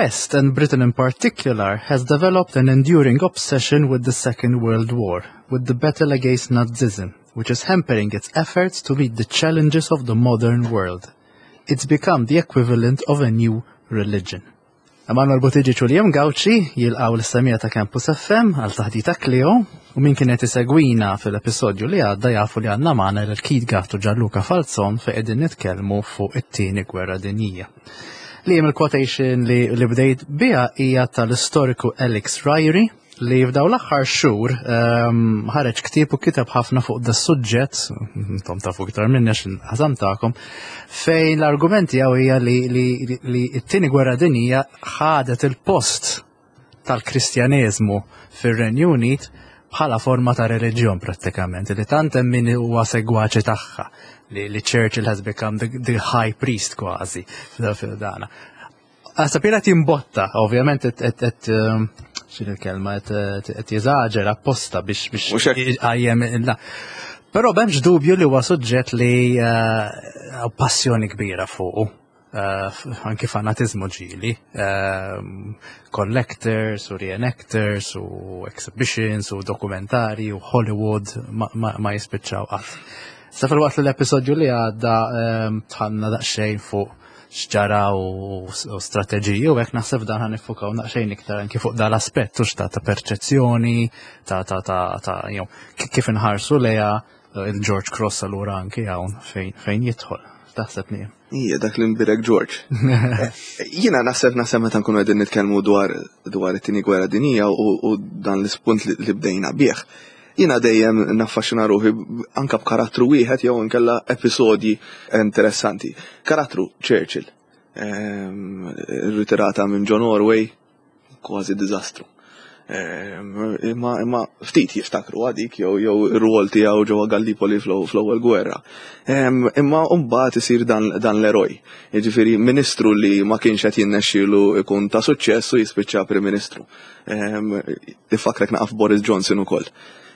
West, and Britain in particular, has developed an enduring obsession with the Second World War, with the battle against Nazism, which is hampering its efforts to meet the challenges of the modern world. It's become the equivalent of a new religion. Emanuel Buttigieg u Liam Gauci jilqgħu l-semija ta' Campus FM għal taħdita Clio u min kienet isegwina fil-episodju li għadda jafu li għandna magħna lil Keith Gatt u Gianluca Falzon fejn qegħdin nitkellmu fuq it-tieni gwerra dinjija. Liam il-quotation li, li bdejt biha hija tal-istoriku Alex Ryrie li f'daw l-aħħar xhur ehm, ħareġ ktieb u kiteb ħafna fuq da suġġett, intom tafu iktar minni għax ħasam tagħkom, fejn l-argument tiegħu hija li, li, li t-tieni gwerra dinjija ħadet il-post tal-Kristjaneżmu fir-Renju Unit bħala forma ta' reliġjon prattikament, li tant hemm min huwa segwaċi tagħha li, li Churchill has become the, the high priest kważi fil-dana. Għasab qed jimbotta, ovvjament qed ehm, x'in il-kelma qed jeżaġera apposta biex biex għajjem la. Però b'hemmx dubju li huwa suġġett li eh, passjoni kbira fuqu. Eh, anki fanatizmu ġili, ehm, collectors u reenactors u exhibitions u dokumentari u Hollywood ma jispiċċaw qatt. Sa fil-waqt li l-episodju li għadda ehm, tħanna daqsxejn fuq x'ġara u strateġiji u hekk naħseb dan ħan nifukaw naqxejn iktar anki fuq dal-aspett u ta' ta' perċezzjoni ta' ta' ta' ta' jew kif inħarsu leja eh, il-George Cross allura anki hawn fejn fejn jidħol. Taħseb li. Ija, dak li nbirek George. Eh, jiena naħseb naħseb meta nkunu qegħdin nitkellmu dwar dwar it-tieni gwerra dinija u dan l-ispunt li bdejna bih. Jiena dejjem naffaxxina ruħi anka b'karattru wieħed jew inkella episodji interessanti. Karattru Churchill. Ehm, ritirata minn John Norway, kważi diżastru. Ehm, imma imma ftit jiftakru għadik jew jew ir-rwol tiegħu ġewwa Gallipoli fl-ewwel gwerra. Ehm, imma mbagħad isir dan, dan l-eroj. Jiġifieri ministru li ma kienx qed jinnexxielu ikun ta' suċċess u jispiċċa Prim Ministru. Ifakrek naqaf Boris Johnson ukoll.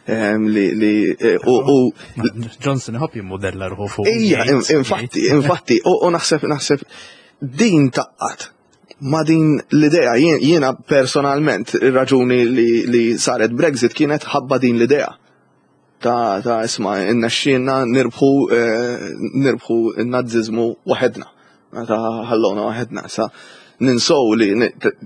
Li li e, u Johnson iħobb jimmodella ruħu fuq. Ija, infatti, infatti, u naħseb naħseb din taqqat ma din l-idea jiena personalment ir-raġuni li, li saret Brexit kienet ħabba din l-idea ta' ta' isma' innexxielna nirbħu eh, nirbħu n-nazzizmu waħedna. Ta' ħallona waħedna. Sa ninsow li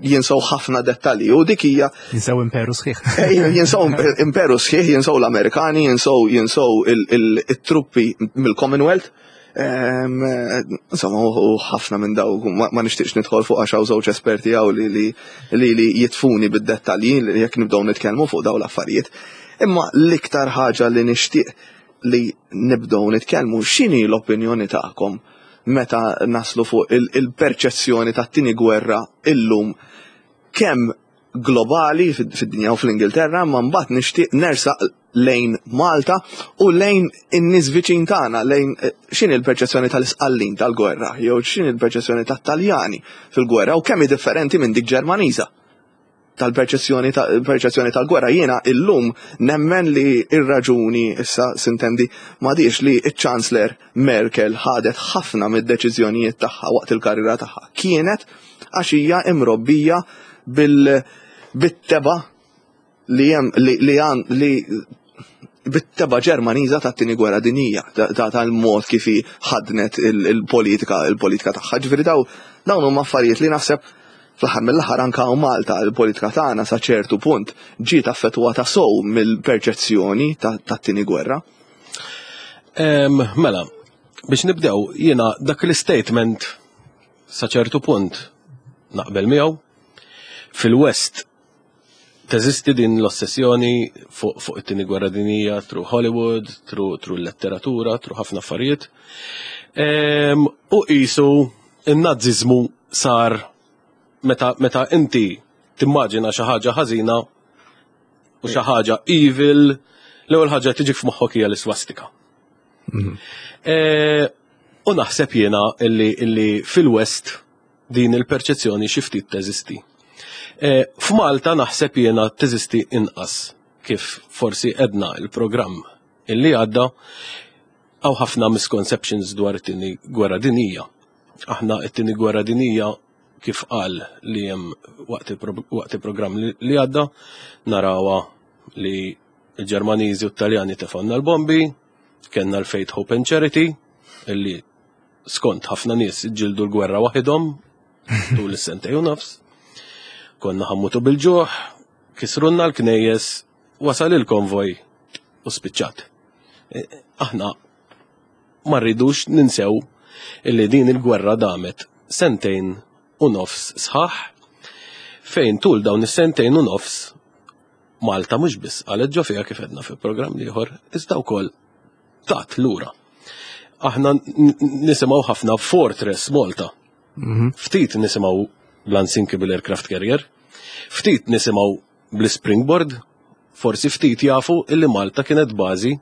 jinsow ħafna dettalji u dik hija jinsew imperu sħiħ. Eh, jinsow imperu sħiħ, jinsow l-Amerikani, jinsow jinsow il-truppi mill-Commonwealth. Insomma, u ħafna minn daw, ma nixtieqx nidħol fuq għax hawn żewġ esperti hawn li li li jitfuni bid-dettalji li jekk nibdew nitkellmu fuq daw l-affarijiet. Imma l-iktar ħaġa li nixtieq li nibdew nitkellmu x'inhi l-opinjoni tagħkom meta naslu fuq il-perċezzjoni tat-tieni gwerra illum kemm globali fid-dinja u fl-Ingilterra, ma mbagħad nixtieq nersaq lejn Malta u lejn in-nies viċin tagħna, lejn eh, x'inhi l-perċezzjoni tal-Isqallin tal-gwerra, jew x'inhi l-perċezzjoni tat-Taljani fil-gwerra u kemm hi differenti minn dik Ġermaniża tal-perċezzjoni perċezzjoni tal-gwerra. Jiena illum nemmen li ir-raġuni issa sintendi m'għadix li ċ-Chancellor Merkel ħadet ħafna mid-deċiżjonijiet tagħha waqt il-karriera tagħha. Kienet għax hija imrobbija bil bit-teba li hemm li li għan li bit-teba Ġermaniża tat-tieni gwerra dinjija tal-mod kif hi ħadnet il-politika il-politika tagħha. Ġifieri daw dawn huma affarijiet li naħseb fl-aħħar mill-aħħar anke hawn Malta il-politika tagħna sa ċertu punt ġiet affettwata sow mill-perċezzjoni tat-tieni gwerra. Mela, biex nibdew jiena dak l-statement sa ċertu punt naqbel miegħu. Fil-West teżisti din l-ossessjoni fuq fu it-tieni gwerra dinija through Hollywood, through, through letteratura, through ħafna affarijiet. Ehm, u qisu in-naziżmu sar meta, meta inti timmaġina xi ħaġa ħażina u xi ħaġa evil, l-ewwel ħaġa tiġik f'moħħok hija l-iswastika. Mhm. E, u naħseb jiena illi, illi fil-West din il-perċezzjoni xi ftit teżisti. E, F'Malta naħseb jiena teżisti inqas kif forsi edna il-programm illi għadda għaw ħafna misconceptions dwar it-tieni gwerra dinija. Aħna it-tieni gwerra dinija kif qal li hemm waqt il-programm li għadda narawha li l-Ġermaniżi u t-Taljani tefgħulna l-bombi, kellna l-Faith Hope and Charity illi skont ħafna nies ġildu l-gwerra waħidhom tul is-sentej u nofs. Konna ħa mmutu bil-ġuħ, kisrunna l-knejjes, wasal il-konvoj u spiċċat. E, aħna ma rridux ninsew illi din il-gwerra damet sentejn u nofs sħaħ fejn tul dawn is-sentejn u nofs Malta mhux biss qalet ġo fiha kif għedna fil-programm ieħor, iżda wkoll tat lura. Aħna nisimgħu ħafna Fortress Malta. Ftit nisimgħu bl-Unsinkable Aircraft Carrier, ftit nisimgħu bl-Springboard, forsi ftit jafu illi Malta kienet bażi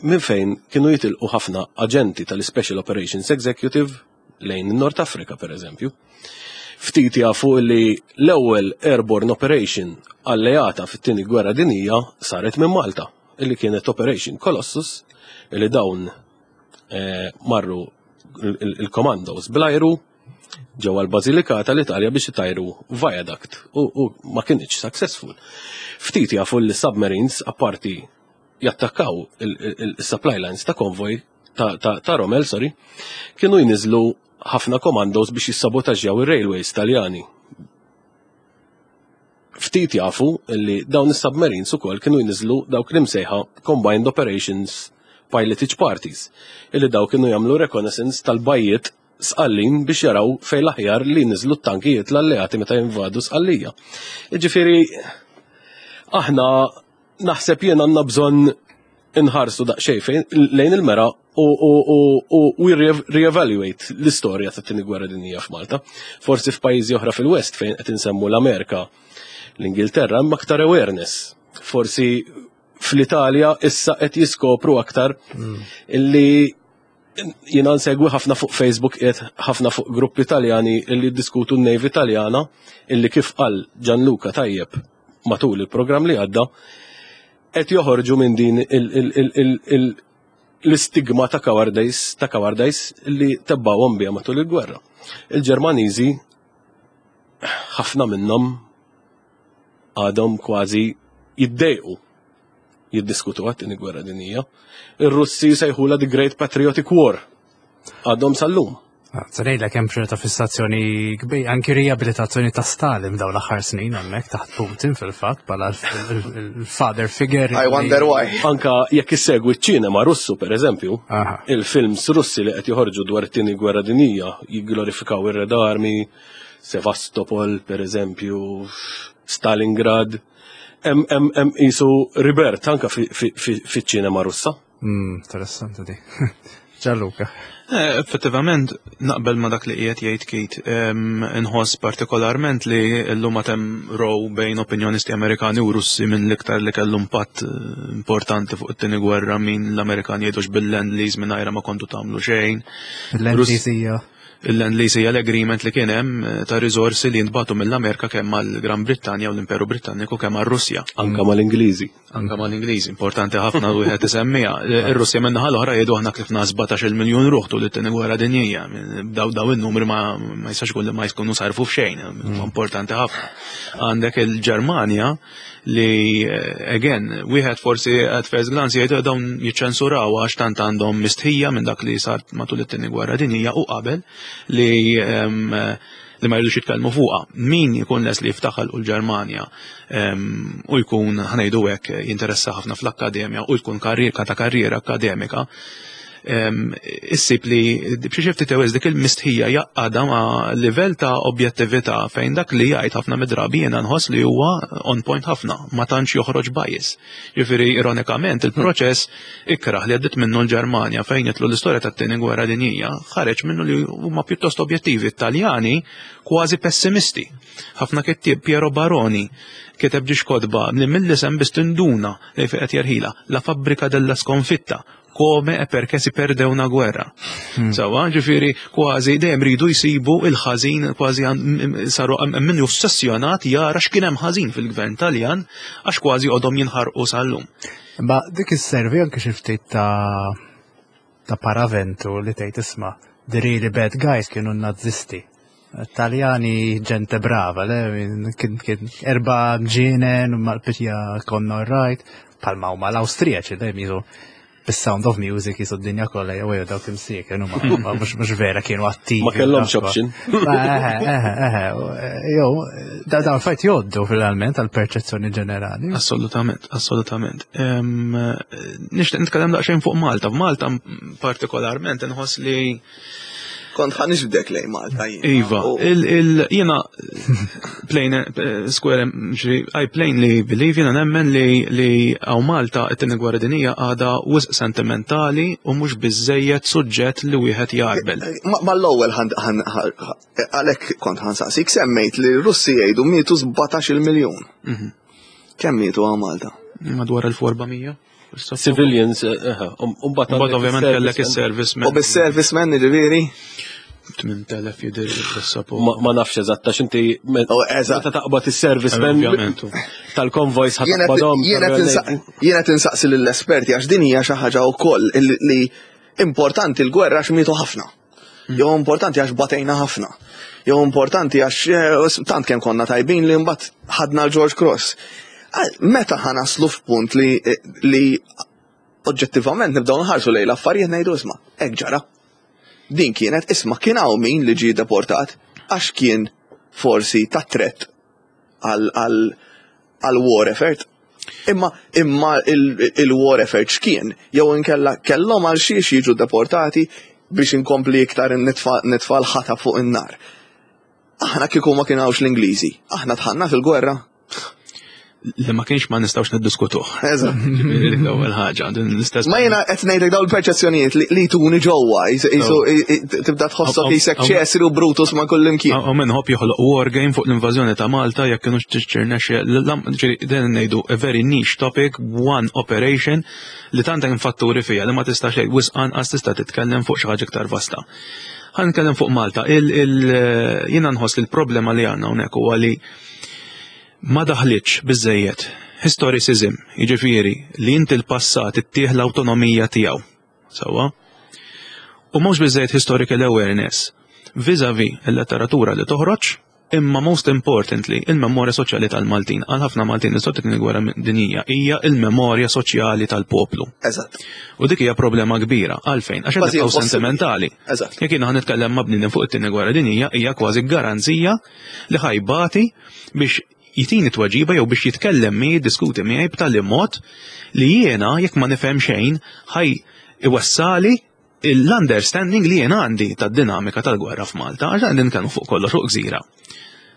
minn fejn kienu jitilqu ħafna aġenti tal-Special Operations Executive lejn Nord Afrika, per eżempju. Ftit jafu li l-ewwel airborne operation alleata fit-tieni gwerra dinija saret minn Malta, illi kienet Operation Colossus, illi dawn marru il-commandos bl-ajru ġewwa l-Basilikata l-Italja biex itajru viaduct u ma kienx successful. Ftit jafu li submarines apparti jattakkaw il-supply lines ta' konvoj ta' Rommel, sorry, kienu jniżlu ħafna commandos biex jissabotaġġjaw ir-railways Taljani. Ftit jafu li dawn is-submarines ukoll kienu jniżlu dawk li msejħa Combined Operations Pilotage Parties, illi daw kienu jagħmlu reconnaissance tal-bajjiet Sqallin biex jaraw fejn l-aħjar li niżlu t-tankijiet l-alleati meta jinvadu Sqallija. Ġifieri aħna naħseb jien għandna bżonn inħarsu daqsxejn fejn lejn il-mera u we reevaluate l-istorja tat-tieni gwerra dinjija f'Malta. Forsi f'pajjiżi oħra fil-West fejn qed insemmu l-Amerika, l-Ingilterra hemm aktar awareness. Forsi fl-Italja issa qed jiskopru aktar illi jiena nsegwi ħafna fuq Facebook qiegħed ħafna fuq gruppi Taljani illi diskutu n-Navy Taljana illi kif qal Gianluca tajjeb matul il-programm li għadda qed joħorġu minn din l-istigma ta' cowardice ta' cowardice li tebbawhom biha matul il-gwerra. Il-Ġermaniżi ħafna minnhom għadhom kważi jiddejqu jiddiskutu għat-tieni gwerra dinjija. Ir-Russi sejħula The Great Patriotic War. Għadhom sal-lum. Se ngħidlek hemm ċerta fissazzjoni kbir, anki riabilitazzjoni ta' Stalin dawn l-aħħar snin hemmhekk taħt Putin fil-fatt bħala l-father figure. I wonder why. Anka jekk issegwi ċ-ċinema Russu per eżempju, il-films Russi li qed joħorġu dwar it-tieni gwerra dinjija jigglorifikaw ir-Red Army, Sevastopol per eżempju, Stalingrad, hemm qisu rebirth anka fiċ-ċinema Russa. Interessanti di. Gianluca. Effettivament, naqbel ma dak li qiegħed jgħid Kate, inħoss partikolarment li llum għad hemm row bejn opinjonisti Amerikani u Russi minn l-iktar li kellu impatt importanti fuq it-tieni gwerra min l-Amerikani jgħidux bil-Lend-Lease mingħajr ma kontu tagħmlu xejn. Il-Lend-Lease hija Il-Lend-Lease hija l-agreement li kien hemm ta' riżorsi li jintbagħtu mill-Amerika kemm mal-Gran Brittanja u l-Imperu Britanniku kemm għar-Russja. Anka mal-Ingliżi. Anka mal-Ingliżi, importanti ħafna wieħed isemmiha. Ir-Russja minn naħa l-oħra jgħidu aħna tlifna 17 miljun ruħ tul it-tieni gwerra dinjija. Daw in-numri ma jistax ikun li ma jkunu sarfu f'xejn, importanti ħafna. Għandek il-Ġermanja li again, wieħed forsi at first glance jgħidu dawn jiċċensuraw għax tant għandhom mistħija minn dak li sar matul it-tieni gwerra dinjija u qabel li ma jridux jitkellmu fuqha. Min jkun les li jiftaħal u l-Ġermanja u jkun ħa ngħidu hekk jinteressa ħafna fl-akkademja u jkun karriera ta' karriera akademika, issib li b'xi xi ftit ewwel dik il-mistħija jaqgħadha ma' livell ta' objettività fejn dak li jgħid ħafna mid-drabi jiena nħoss li huwa on point ħafna, ma tantx joħroġ bias. Jiġifieri ironikament il-proċess ikraħ li għaddiet minnu l-Ġermanja fejn jitlu l-istorja tat-tieni gwerra dinjija ħareġ minnu li huma pjuttost objettivi. Taljani kważi pessimisti. Ħafna kittieb Piero Baroni kiteb ġiex kotba li mill-isem biss tinduna li fejn qed jerħila La fabbrica della sconfitta come e perché si perde una guerra. Sawa, ġifieri kważi dejjem ridu jsibu il-ħażin kważi saru min ossessjonat jara x'kien hemm ħażin fil-gvern Taljan għax kważi għodhom jinħarqu sal-lum. Ma dik isservi anke xi ftit ta' paraventu li tgħid isma' the really bad guys kienu n-Nazisti. Taljani ġente brava, le, kien erba ġienen, mal-pitja konna right, palma huma l-Awstrijaċi, le, jizu bis-Sound of Music jisu d-dinja kollha jew jew dawk imsieken huma mhux vera kienu attivi. Ma kellhomx option. Eħe, jew dawn fajt joddu fil-realment għall-perċezzjoni ġenerali. Assolutament, assolutament. Nixtieq nitkellem daqsxejn fuq Malta. F'Malta partikolarment inħoss li Kont ħa nixbdek lejn Malta jien. Iva, jiena plain eh, square, I plainly believe jiena nemmen li li għaw Malta it-tieni gwerra dinija għadha wisq sentimentali u mhux biżejjed suġġett li wieħed jarbel. Eh, ma l-ewwel għalhekk kont ħan saqsik semmejt li r-Russi jgħidu mietu 17 miljun. Mhm. Kemm mietu għaw Malta? Madwar 1400. Civilians, eh, eh, um, umbat ovvjament kellek il-servicemen. U bis-servicemen ġifieri? 8000 jidir il-sapo. Ma nafx eżatt, għax inti oh, meta taqbad il-servicemen tal-konvojs ħataqbadhom. Jiena tinsaqsi lill-esperti għax din hija xi ħaġa wkoll li importanti l-gwerra għax mietu ħafna. Jew importanti għax batejna ħafna. Jew importanti għax eh, tant kemm konna tajbin li mbagħad ħadna l-George Cross. Meta ħanaslu f'punt li, eh, li oġġettivament nibdew nħarsu lejn l-affarijiet ngħidu isma' hekk ġara. Din kienet isma' kien hawn min li ġie deportat għax kien forsi ta' threat għal war effort. Imma imma il-war effort x'kien? Jew inkella kellhom għal xiex jiġu deportati biex inkompli iktar nitfa' l-ħata fuq in-nar. Aħna kieku ma kien hawnx l-Ingliżi, aħna dħalna fil-gwerra. Li ma kienx ma nistgħux niddiskutuh. Eżatt. L-ewwel ħaġa, din l-istess. Ma jiena qed ngħidlek dawn il-perċezzjonijiet li tuni ġewwa, tibda tħossok qisek Ċesri u Brutus ma' kullimkien. Hawn min ħobb joħloq war game fuq l-invażjoni ta' Malta jekk kienux tirnexxi din ngħidu a very niche topic, one operation li tant hemm fatturi fiha li ma tistax tgħid wisq anqas tista' titkellem fuq xi ħaġa iktar vasta. Ħa nitkellem fuq Malta. Jiena nħoss li l-problema li għandna hawnhekk huwa li ma daħlitx biżżejjed historicism, jiġifieri li inti l-passat ittih l-awtonomija tiegħu. Sewwa? U mhux biżżejjed historical awareness vis-a-vis il-letteratura li toħroġ, imma most importantly il-memorja soċjali tal-Maltin. Għal ħafna Maltin l-istorja tat-Tieni Gwerra Dinjija hija il-memorja soċjali tal-poplu. Eżatt. U dik hija problema kbira. Għalfejn? Għax qed nibqgħu sentimentali. Eżatt. Jekk jiena ħa nitkellem ma' bniedem fuq it-Tieni Gwerra Dinjija hija kważi garanzija li ħa jbati biex jtini tweġiba jew biex jitkellem miegħi, jiddiskuti miegħi b'tali mod li jiena jekk ma nifhem xejn ħaj iwessali l-understanding li jiena għandi tad-dinamika tal-gwerra f'Malta, għax qegħdin nitkellmu fuq kollox fuq gżira.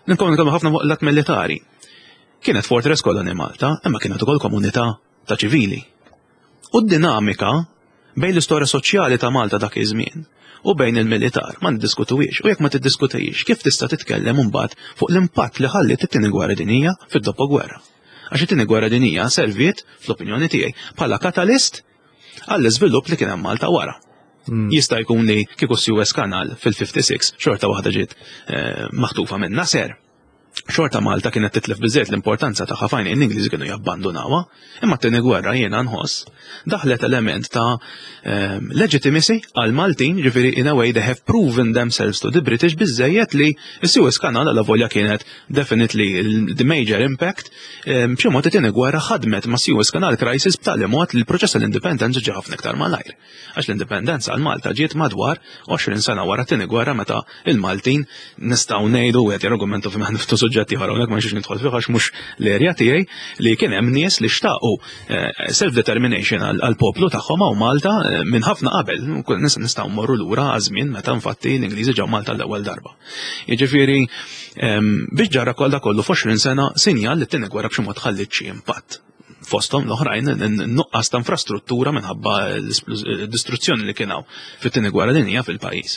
Nitkellmu nitkellmu ħafna fuq l-att militari. Kienet fortress koloni Malta, imma kienet ukoll komunità ta' ċivili. U d-dinamika bejn l-istorja soċjali ta' Malta dak iż-żmien u bejn il-militar ma niddiskutuhiex u jekk ma tiddiskutihiex kif tista' titkellem imbagħad fuq l-impatt li ħalliet it-Tieni Gwerra Dinjija fid-dopo-gwerra. Għax it-Tieni Gwerra Dinjija serviet, fl-opinjoni tiegħi, bħala katalist għall-iżvilupp li kien hemm Malta wara. Hmm. Jista' jkun li kieku Suez Canal fil-56 xorta waħda ġiet eh, maħtufa minn Nasser. Xorta Malta kienet titlef biżżejjed l-importanza tagħha fajn l-Ingliżi kienu jabbandunawha, imma t-tieni gwerra jiena nħoss daħlet element ta' ehm, legitimacy għal Maltin, ġifieri in a way they have proven themselves to the British biżżejjed li s-Suez Canal għal volja kienet definitely the major impact, ehm, b'xi mod it-tieni gwerra ħadmet ma' Suez Canal crisis b'tali mod li l-proċess tal-indipendenza ġie ħafna iktar malajr. Għax l-indipendenza għal Malta ġiet madwar 20 sena wara t-tieni gwerra meta il-Maltin nistgħu ngħidu wieħed jargumenta fi niftu suġġetti ieħor hawnhekk ma nixtiex nidħol fih għax mhux l-erja tiegħi li kien hemm nies li xtaqu eh, self-determination għall-poplu tagħhom hawn Malta eh, minn ħafna qabel. Nistgħu mmorru lura għaż-żmien meta infatti l-Ingliżi ġew Malta l-ewwel darba. Jiġifieri ehm, biex ġara kollha kollu f'20 sena sinjal li t-tieni gwerra b'xi mod ħalliet xi impatt fosthom l-oħrajn nuqqas ta' infrastruttura minħabba l-distruzzjoni li kien hawn fit-tieni gwerra dinjija fil-pajjiż.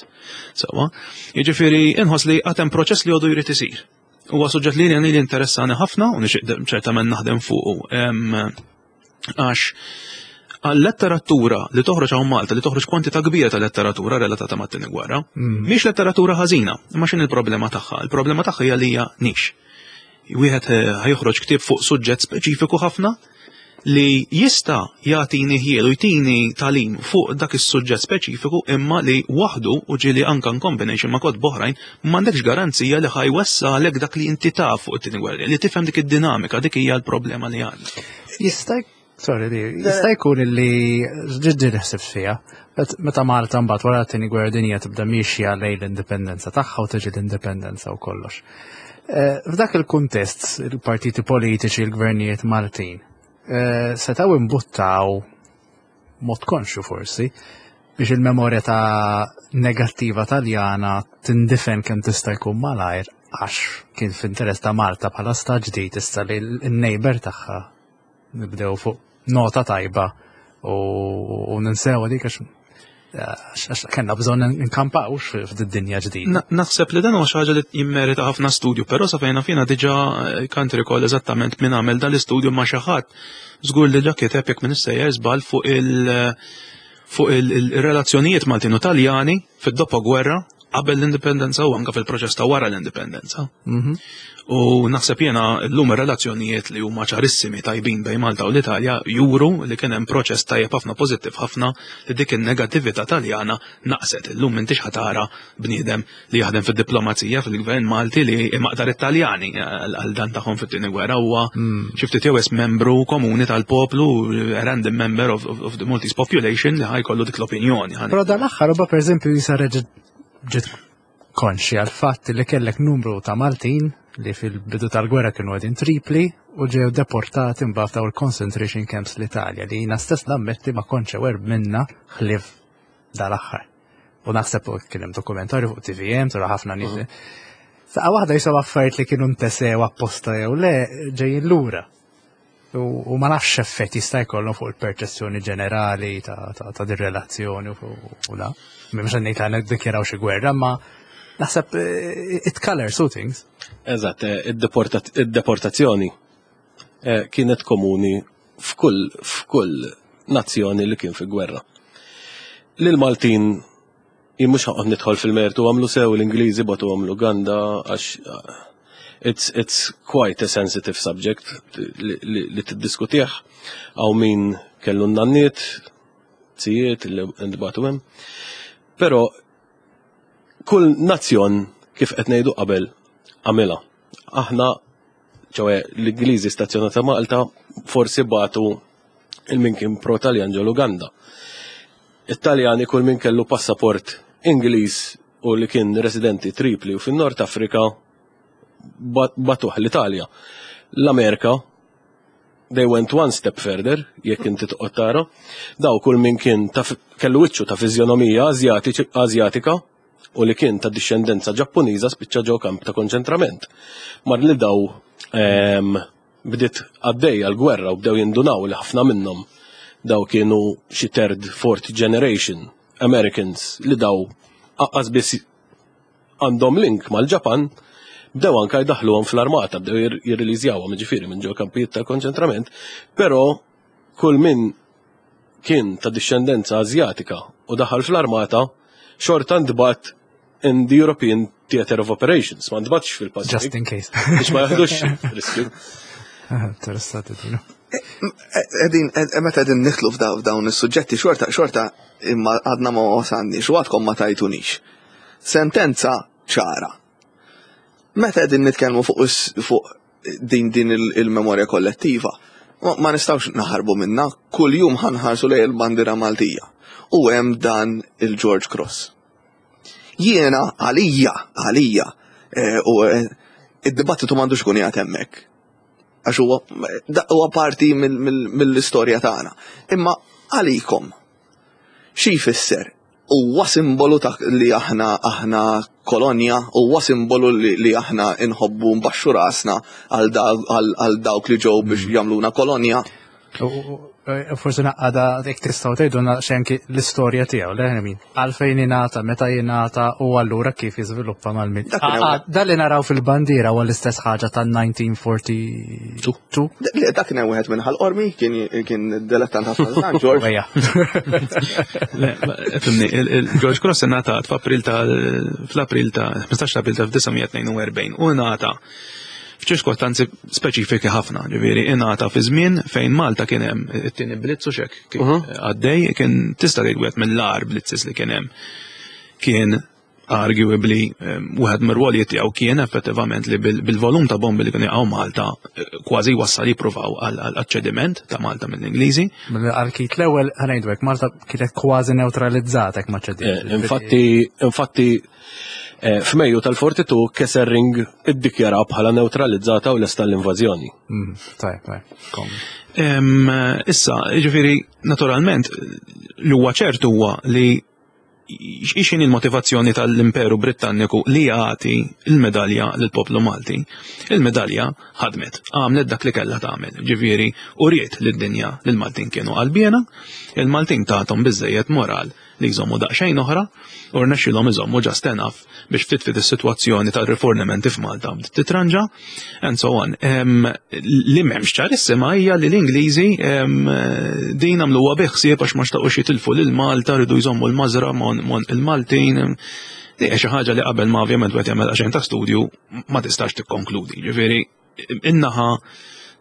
Sewwa, jiġifieri inħoss li għad hemm proċess li għodu jrid isir. Huwa suġġett li li interessani ħafna u nixtieq ċertament naħdem fuqu. Għax għal-letteratura li toħroġ hawn Malta, li toħroġ kwantità kbira ta' letteratura relatata mat-tieni gwerra, mm. mhix letteratura ħażina, imma x'in il-problema tagħha? Il-problema tagħha hija li hija nix. Wieħed eh, ħajoħroġ ktieb fuq suġġett speċifiku ħafna li jista' jagħtini ħjiel u jtini tagħlim fuq dak is-suġġett speċifiku imma li waħdu u ġieli anka in combination ma' kotba oħrajn m'għandekx garanzija li ħa jwessalek dak li inti taf fuq it-tieni gwerra, li tifhem dik id-dinamika, dik hija l-problema li għandna. Jista' Sorry, li jista' jkun li ġiddi naħseb fiha, meta Malta mbagħad wara t-tieni gwerra dinja tibda miexja lejn l-indipendenza tagħha u tiġi l-indipendenza u kollox. F'dak il-kuntest, il-partiti politiċi, il-gvernijiet Maltin, setaw imbuttaw mod konxju forsi biex il-memorja ta' negattiva Taljana tindifen kemm tista' jkun malajr għax kien f'interess ta' Malta bħala stat ġdid issa li l-neighbor tagħha nibdew fuq nota tajba u ninsew dik għax kellna bżonn nkampawx f'did-dinja ġdida. Naħseb li dan huwa xi ħaġa li jimmerita ħafna studju, però sa fejna fina diġà can't recall eżattament min għamel dan l-istudju ma' xi ħadd żgur li ġa kiteb jekk minn sejjer żball fuq il- fuq il-relazzjonijiet Maltin u Taljani fid-dopo gwerra qabel l-indipendenza u anka fil-proċess ta' wara l-indipendenza. U naħseb jiena llum ir-relazzjonijiet li huma ċarissimi tajbin bejn Malta u l-Italja juru li kien hemm proċess tajjeb ħafna pożittiv ħafna li dik in-negattività Taljana naqset. Illum m'intix ħa tara bniedem li jaħdem fid-diplomazija fil-gvern Malti li maqdar Italjani għal dan tagħhom fit-tieni gwerra huwa xi ftit jew membru komuni tal-poplu, a random member of the Maltese population li ħa jkollu dik l-opinjoni. Però dan l-aħħar huwa pereżempju jisa reġa' ġiet konxi għal fatt li kellek numru ta' Maltin li fil-bidu tal-gwerra kienu għedin Tripli u ġew deportati mbagħad daw il-concentration camps l-Italja li jina stess nammetti ma kontx aware minna ħlief dal-aħħar. U naħseb kien hemm dokumentarju fuq TVM, tura ħafna nies. Saqqa waħda jisaw affarijiet li kienu ntesew apposta jew le ġejjin lura. U ma nafx effett jista' jkollhom fuq il-perċezzjoni ġenerali ta' din relazzjoni u la. Mhux ngħid għandna ddikjaraw xi gwerra, ma naħseb it colors two things. Eżatt, id-deportazzjoni kienet komuni f'kull nazzjoni li kien fi gwerra. Lil Maltin jien mhux ħaqgħod nidħol fil-mertu għamlu sew l-Ingliżi bagħtu għamlu Uganda għax it's quite a sensitive subject li tiddiskutih għaw min kellu n-nanniet, zijiet li ntbagħtu hemm. Però kull nazzjon kif qed ngħidu qabel għamilha. Aħna ċoè l-Ingliżi stazzjonata Malta forsi bagħtu il-min kien pro-Taljan ġol Uganda. It-Taljani kull min kellu passaport Ingliż u li kien residenti Tripli u fin-Nord Afrika bagħtuh l-Italja. L-Amerika, they went one step further, jekk inti toqgħod tara, daw kull min kien kellu wiċċu ta' fiżjonomija Azjatika u li kien ta' discendenza Ġappuniża spiċċa ġo kamp ta' konċentrament. Mar li daw bdiet għaddejja l-gwerra u bdew jindunaw li ħafna minnhom daw kienu xi third, fourth generation Americans li daw aqqas biss għandhom link mal-Ġapan, bdew anka jdaħluhom fl-armata, bdew jirriliżjawhom ġifieri minn ġo kampijiet ta' konċentrament, però kull min kien ta' discendenza Azjatika u daħal fl-armata xorta ntbagħat in the European Theater of Operations, ma ntbagħatx fil-Pacific. Just in case. Biex ma jaħdux riskju. Interessati dinu. Edin, meta edin nidħlu f'dawn is-suġġetti, xorta, xorta imma għadna ma wasalniex u għadkom ma tajtunix. Sentenza ċara. Meta qegħdin nitkellmu fuq din il-memorja kollettiva, ma nistgħux naħarbu minna, kull jum ħa nħarsu lejn il-bandira Maltija. U hemm dan il-George Cross. Jiena għalija, u id-dibattitu m'għandux ikun qiegħed hemmhekk. Għax huwa parti mill-istorja tagħna. Imma għalikom, xi jfisser? Huwa simbolu ta' li aħna kolonja, huwa simbolu li aħna inħobbu nbaxxu rasna għal dawk li ġew biex jagħmluna kolonja. Forsi naqqada jekk tistgħu tgħidulna xi anki l-istorja tiegħu, le min għalfejn ingħata, meta jingħata u allura kif jiżviluppa mal-min. Dak kien hemm- Dan li naraw fil-bandiera huwa l-istess ħaġa tan-1942. Le, dak kien hemm wieħed minn Ħal Qormi, kien dilettant ħafna San George. Ejja. Le, fimni, il-George Cross ingħatat f'April ta' fl-April ta' 15 April ta' 1942 u ngħata. f'ċirkostanzi speċifiki ħafna, ġifieri ingħata fi żmien fejn Malta kien hemm it-tieni blitz u xek kien għaddej, kien tista' tgħid wieħed mill-agħar blitzes li kien hemm kien arguably wieħed mir-rwolijiet tiegħu kien effettivament li bil-volum ta' bombi li kienu jaqgħu Malta kważi wassal jippruvaw għal ċediment ta' Malta mill-Ingliżi. Għal-kit l-ewwel ħa ngħidu hekk Malta kienet kważi neutralizzata ma ċediet. Infatti, f'Mejju tal-42 Kesselring iddikjara bħala neutralizzata u lesta l-invażjoni. Tajb, kom. Issa, ġifieri, naturalment, li huwa ċert huwa li x'inhi il-motivazzjoni tal-Imperu Britanniku li jagħti il-medalja lill-poplu Malti. Il-medalja ħadmet, għamlet dak li kellha tagħmel. Ġifieri, uriet lid-dinja li l-Maltin kienu qalbiena, il-Maltin tathom biżejjed moral li jżommu daqsxejn oħra u rnexxilhom iżommu just enough biex ftit ftit is-sitwazzjoni tal-rifornimenti f'Malta bdiet titranġa and so on. Li m'hemmx ċarissima hija li l-Ingliżi din għamluha bi ħsieb għax ma xtaqux jitilfu lil Malta, rridu jżommu l-mażra mon il-Maltin. Di hija xi ħaġa li qabel ma ovvjament wieħed jagħmel għaxejn ta' studju ma tistax tikkonkludi. Ġifieri in-naħa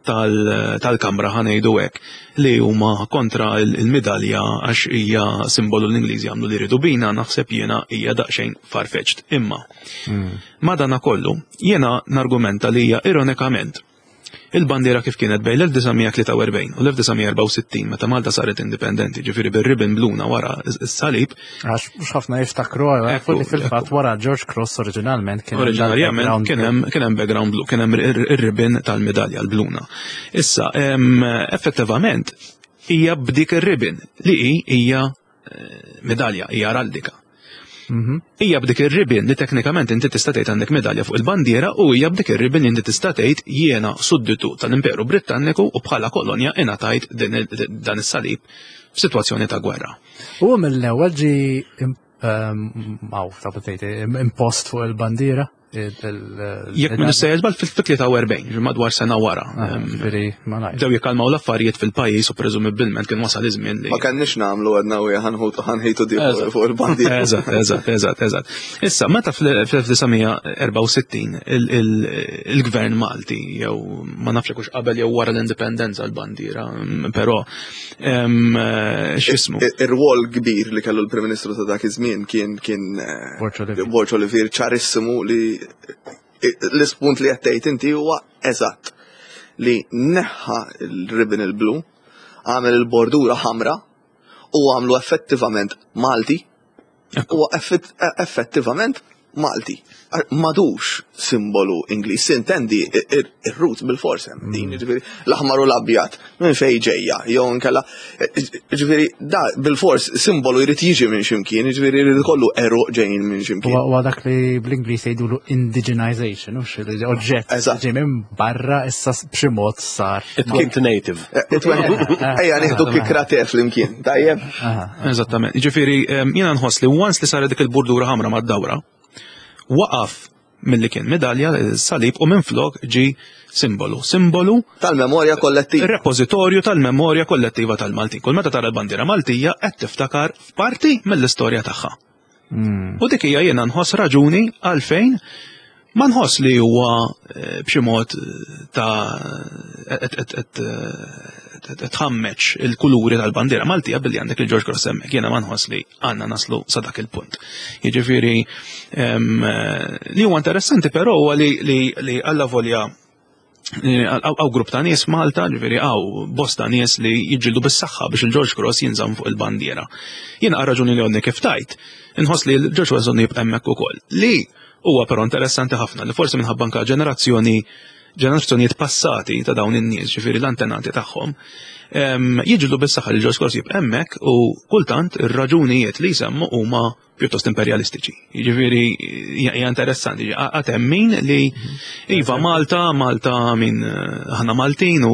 tal-kamra ħa ngħidu hekk li huma kontra il-medalja għax hija simbolu l-Ingliżi għamlu li rridu bina, naħseb jiena hija daqsxejn farfetched. Imma madana kollu jiena nargumenta li hija ironikament il-bandiera kif kienet bejn l-1943 u l-1964 meta Malta saret indipendenti, ġifieri bir-ribbon bluna wara is-salib. Għax mhux ħafna jiftakru għafu li fil-fatt wara George Cross oriġinalment kien hemm Oriġinarjament dal-background kien hemm background blue, kien hemm ir-ribbon tal-medalja l-bluna. Issa, effettivament hija b'dik ir-ribbon li hija medalja, hija araldika. Hija b'dik ir-ribbon li teknikament inti tista' tgħid għandek medalja fuq il-bandiera u hija b'dik ir-ribbon li inti tista' tgħid jiena sudditu tal-Imperu Britanniku u bħala kolonja ingħatajt dan is-salib f'sitwazzjoni ta' gwerra. U mill-ewwel ġi ta' tgħid, impost fuq il-bandiera. Jekk minn sejjer żball fil-43, madwar sena wara. Ah, ġifieri, ma nafx. Bdew jikkalmaw l-affarijiet fil-pajjiż u preżumibbilment kien wasal iż-żmien li Ma kenniex nagħmlu għedna u ħanħitu di fuq il-bandiera. Eżatt. Issa, meta fl-1964 il-gvern Malti, jew ma nafx hux qabel jew wara l-indipendenza l-bandiera, però x'ismu? Ir-rwol kbir li kellu l-Prim Ministru ta' dak iż-żmien kien Borg Olivier. Borg Olivier, ċarissimu li l-ispunt li qed tgħid inti huwa eżatt li neħħa il-ribbon il-blu, għamel il-bordura ħamra u għamlu effettivament Malti. Huwa effettivament Malti. M'għadux simbolu Ingliż, sintendi ir-roots bil-fors hemm din, ġifieri l-aħmar u l-abjad minn fejn ġejja, jew inkella ġifieri da bil-fors simbolu jrid jiġi minn ximkien, ġifieri jrid ikollu għeruq ġejjin minn ximkien. Huwa dak li bl-Ingliż jgħidulu indigenization, hux li oġġett ġej minn barra issa b'xi mod sar. It went native. It went, ejja nieħdu kikra te flimkien, tajjeb. Eżattament. Ġifieri jiena nħoss li once li saret dik il-bordura ħamra mad-dawra, waqaf milli kien medalja, salib, u minflok ġi simbolu. Simbolu tal-memorja kollettiva. Repożitorju tal-memorja kollettiva tal-Maltin. Kull meta tara l-bandiera Maltija qed tiftakar f'parti mill-istorja tagħha. U dik hija jiena nħoss raġuni għalfejn ma nħoss li huwa b'xi mod ta' qed tħammeġ il-kuluri tal-bandiera Maltija billi għandek il-George Cross hemmhekk. Jiena ma nħoss li għandna naslu sa dak il-punt. Jiġifieri li huwa interessanti però huwa li alla volja hawn grupp ta' nies Malta, ġifieri hawn bosta nies li jiġġieldu bis-saħħa biex il-George Cross jinżamm fuq il-bandiera. Jiena għal raġuni li għodni kif tajt, inħoss li l-George Cross għandu jibqa' hemmhekk ukoll. Li huwa però interessanti ħafna li forsi minħabba anke ġenerazzjonijiet passati ta' dawn in-nies, ġifieri l-antenati tagħhom, jiġġieldu bis-saħħa li l-George Cross jibqa' hemmhekk u kultant ir-raġunijiet li jsemmu huma pjuttost imperialistiċi. Jiġifieri hija interessanti, għad hemm min li iva Malta, Malta min aħna Maltin u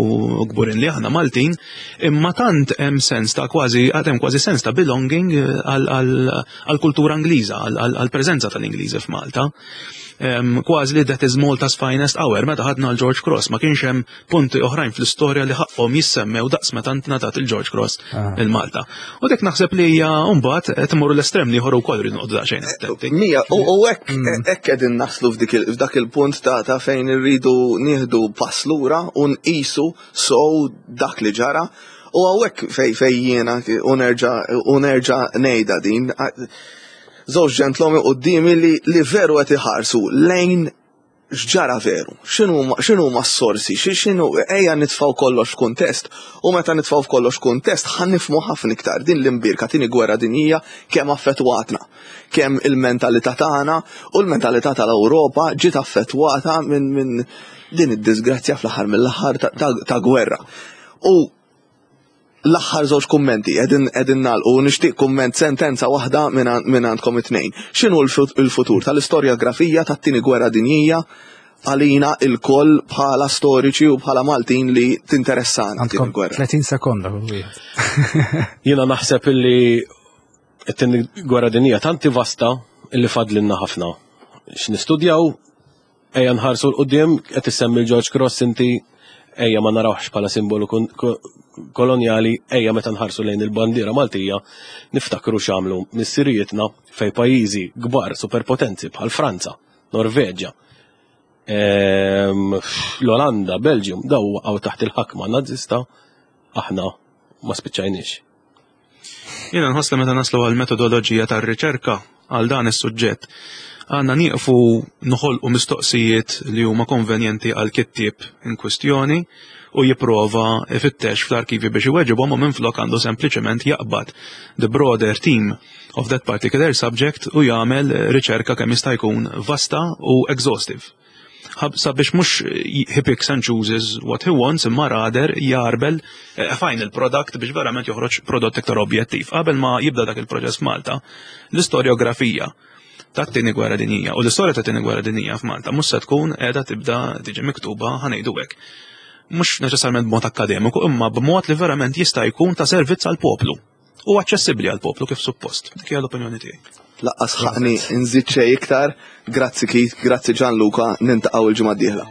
kburin li aħna Maltin, imma tant hemm sens ta' kważi, għad hemm kważi sens ta' belonging għal-kultura Ingliża, għal-preżenza tal-Ingliżi f'Malta. Kważi li that is Malta's finest hour, meta ħadna l-George Cross, ma kienx hemm punti oħrajn fl-istorja li ħaqhom jissemmew daqs il-każ meta ngħatat il-George Cross ah. il-Malta. U dik naħseb li hija mbagħad qed imorru l-estrem li ieħor ukoll rridu noqogħdu daqsxejn eh, attenti. Mija, u hekk mm. hekk qegħdin naslu f'dak il-punt ta' fejn irridu nieħdu pass lura u nqisu sow dak li ġara. U hawnhekk fej fej jiena u nerġa' u nerġa' ngħidha din żewġ ġentlomi qudiemi li, li veru qed iħarsu lejn x'ġara veru, x'inhuma s-sorsi, x'inhu ejja nitfgħu kollox f'kuntest u meta nitfgħu f'kollox kuntest ħa nifhmu ħafna iktar din l-imbierka tieni gwerra dinjija kemm affettwatna, kemm il-mentalità tagħna u l-mentalità tal-Ewropa ġiet affettwata minn min din id-disgrazzja fl-aħħar mill-aħħar ta' gwerra. U l-aħħar żewġ kummenti qegħdin qegħdin nagħlqu u nixtieq kumment sentenza waħda minn għandkom it-tnejn. X'inhu l-futur tal-istorjografija tat-tieni gwerra dinjija għalina il-koll bħala storiċi u bħala Maltin li tinteressana t-tieni gwerra? 30 sekonda kull wieħed. Jiena naħseb illi t-tieni gwerra dinjija tanti vasta illi fadlinna ħafna. X'nistudjaw Ejja nħarsu 'l quddiem, qed issemmi l-George Cross inti, ejja ma narawhx bħala simbolu kolonjali, ejja meta nħarsu lejn il-bandiera Maltija niftakru x'għamlu missirijietna fejn pajjiżi kbar superpotenzi bħal Franza, Norveġja, ehm, l-Olanda, Belgium, daw waqgħu taħt il-ħakma Nazista, aħna ma spiċċajniex. Jiena nħoss li meta naslu għal metodoloġija tar-riċerka għal dan is-suġġett, għandna nieqfu noħolqu mistoqsijiet li huma konvenjenti għal kittieb in kwistjoni u jipprova ifittex fl-arkivi biex iweġibhom u minflok għandu sempliċement jaqbad the broader theme of that particular subject u jagħmel riċerka kemm jista' jkun vasta u exhaustive. Sabiex mhux he picks and chooses what he wants imma rather jarbel eh, final product biex verament joħroġ prodott iktar objettiv. Qabel ma jibda dak il-proċess f'Malta, l-istorjografija tat-tieni gwerra dinjija u l-istorja tat-tieni gwerra dinjija f'Malta mhux se tkun qiegħda tibda tiġi miktuba ħanejdu hekk. Mhux neċessarjament b'mod akkademiku, imma b'mod li verament jista' jkun ta' servizz għall-poplu u aċċessibbli għall-poplu kif suppost. Dik hija l-opinjoni tiegħi. Laqqas ħaqni nżid xejn iktar. Grazzi Keith, grazzi Gianluca, nintaqgħu il-ġimgħa d-dieħla.